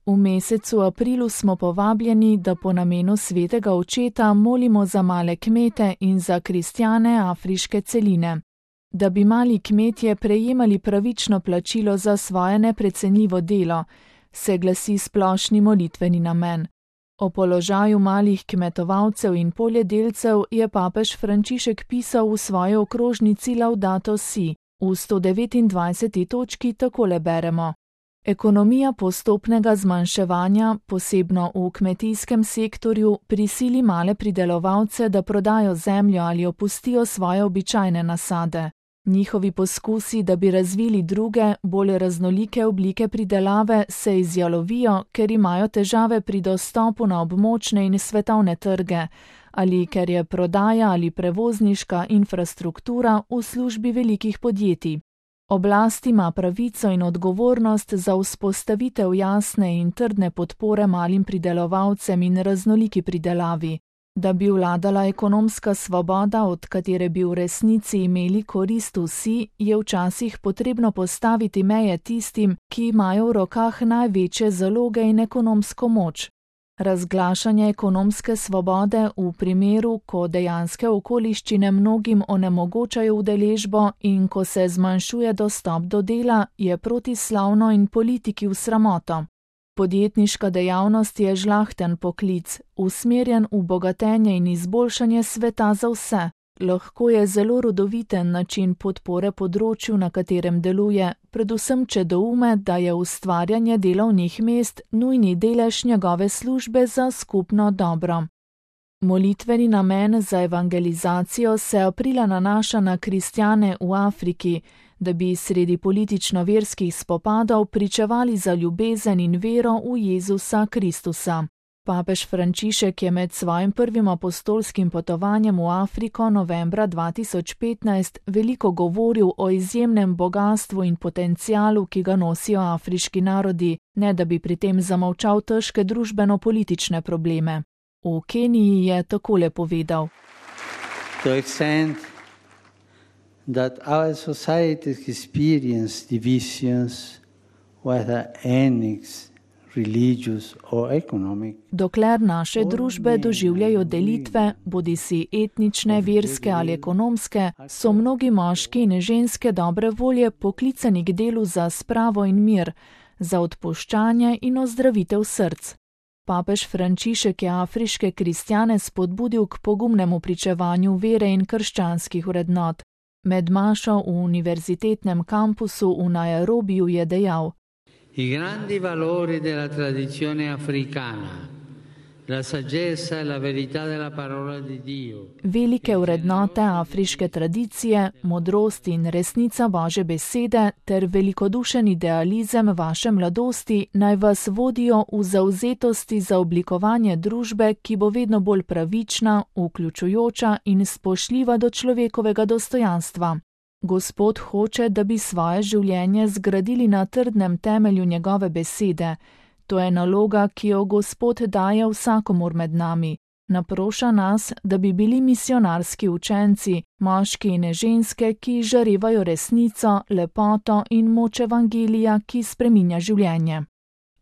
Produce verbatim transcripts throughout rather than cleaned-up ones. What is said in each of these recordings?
V mesecu aprilu smo povabljeni, da po namenu svetega očeta molimo za male kmete in za kristjane afriške celine. Da bi mali kmetje prejemali pravično plačilo za svoje neprecenljivo delo, se glasi splošni molitveni namen. O položaju malih kmetovalcev in poljedelcev je papež Frančišek pisal v svoji okrožnici Laudato Si. V sto devetindvajseti točki takole beremo: Ekonomija postopnega zmanjševanja, posebno v kmetijskem sektorju, prisili male pridelovalce, da prodajo zemljo ali opustijo svoje običajne nasade. Njihovi poskusi, da bi razvili druge, bolj raznolike oblike pridelave, se izjalovijo, ker imajo težave pri dostopu na območne in svetovne trge, ali ker je prodaja ali prevozniška infrastruktura v službi velikih podjetij. Oblast ima pravico in odgovornost za vzpostavitev jasne in trdne podpore malim pridelovalcem in raznoliki pridelavi. Da bi vladala ekonomska svoboda, od katere bi v resnici imeli korist vsi, je včasih potrebno postaviti meje tistim, ki imajo v rokah največje zaloge in ekonomsko moč. Razglašanje ekonomske svobode v primeru, ko dejanske okoliščine mnogim onemogočajo udeležbo in ko se zmanjšuje dostop do dela, je protislavno in politiki v sramoto. Podjetniška dejavnost je žlahten poklic, usmerjen v bogatenje in izboljšanje sveta za vse. Lahko je zelo rodoviten način podpore področju, na katerem deluje, predvsem če doume, da je ustvarjanje delovnih mest nujni delež njegove službe za skupno dobro. Molitveni namen za evangelizacijo se aprila nanaša na kristjane v Afriki, da bi sredi politično-verskih spopadov pričevali za ljubezen in vero v Jezusa Kristusa. Papež Frančišek je med svojim prvim apostolskim potovanjem v Afriko novembra dva tisoč petnajst veliko govoril o izjemnem bogastvu in potencialu, ki ga nosijo afriški narodi, ne da bi pri tem zamolčal težke družbeno-politične probleme. V Keniji je takole povedal: To extent that our societies experience divisions, whether ethnic, religious or economic. Dokler naše družbe doživljajo delitve, bodisi etnične, verske ali ekonomske, so mnogi moški in ženske dobre volje poklicani k delu za spravo in mir, za odpuščanje in ozdravitev src. Papež Frančišek je afriške kristjane spodbudil k pogumnemu pričevanju vere in krščanskih vrednot. Med mašo v univerzitetnem kampusu v Nairobiju je dejal: I grandi valori della tradizione africana, la saggezza e la verità della parola di Dio. Velike vrednote afriške tradicije, modrost in resnica Božje besede ter velikodušen idealizem vaše mladosti naj vas vodijo v zavzetosti za oblikovanje družbe, ki bo vedno bolj pravična, vključujoča in spoštljiva do človekovega dostojanstva. Gospod hoče, da bi svoje življenje zgradili na trdnem temelju njegove besede. To je naloga, ki jo Gospod daje vsakomur med nami. Naproša nas, da bi bili misionarski učenci, moški in ženske, ki žarevajo resnico, lepoto in moč evangelija, ki spreminja življenje.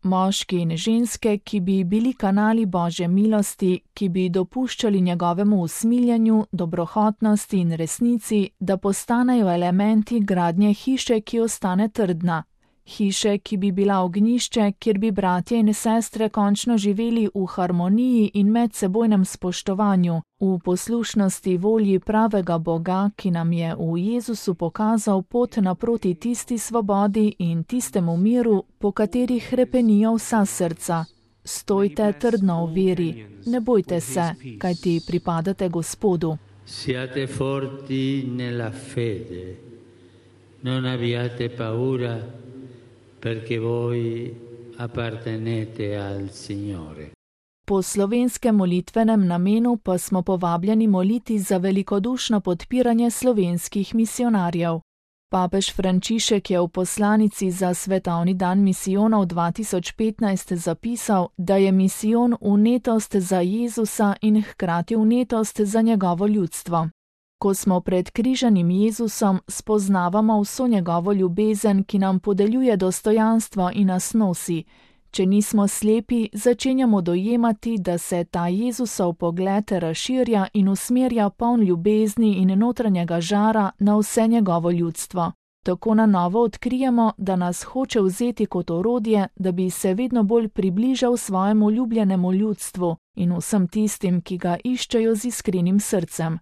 Moški in ženske, ki bi bili kanali Božje milosti, ki bi dopuščali njegovemu usmiljenju, dobrohotnosti in resnici, da postanejo elementi gradnje hiše, ki ostane trdna. Hiše, ki bi bila ognjišče, kjer bi bratje in sestre končno živeli v harmoniji in medsebojnem spoštovanju, v poslušnosti volji pravega Boga, ki nam je v Jezusu pokazal pot naproti tisti svobodi in tistemu miru, po katerih hrepenijo vsa srca. Stojte trdno v veri, ne bojte se, kajti pripadate Gospodu. Siate forti nella fede, non abbiate paura, perché voi appartenete al Signore. Po slovenskem molitvenem namenu pa smo povabljeni moliti za velikodušno podpiranje slovenskih misionarjev. Papež Frančišek je v poslanici za Svetovni dan misijonov dva tisoč petnajst zapisal, da je misijon vnetost za Jezusa in hkrati vnetost za njegovo ljudstvo. Ko smo pred križanim Jezusom, spoznavamo vso njegovo ljubezen, ki nam podeljuje dostojanstvo in nas nosi. Če nismo slepi, začenjamo dojemati, da se ta Jezusov pogled razširja in usmerja poln ljubezni in notranjega žara na vse njegovo ljudstvo. Tako na novo odkrijemo, da nas hoče vzeti kot orodje, da bi se vedno bolj približal svojemu ljubljenemu ljudstvu in vsem tistim, ki ga iščejo z iskrenim srcem.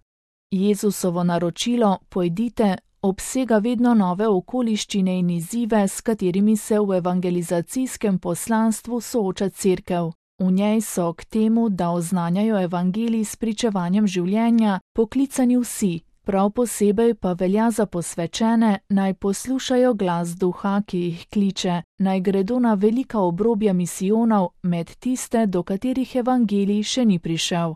Jezusovo naročilo, pojdite, obsega vedno nove okoliščine in izzive, s katerimi se v evangelizacijskem poslanstvu sooča Cerkev. V njej so k temu, da oznanjajo evangelij s pričevanjem življenja, poklicani vsi, prav posebej pa velja za posvečene, naj poslušajo glas duha, ki jih kliče, naj gredo na velika obrobja misijonov med tiste, do katerih evangelij še ni prišel.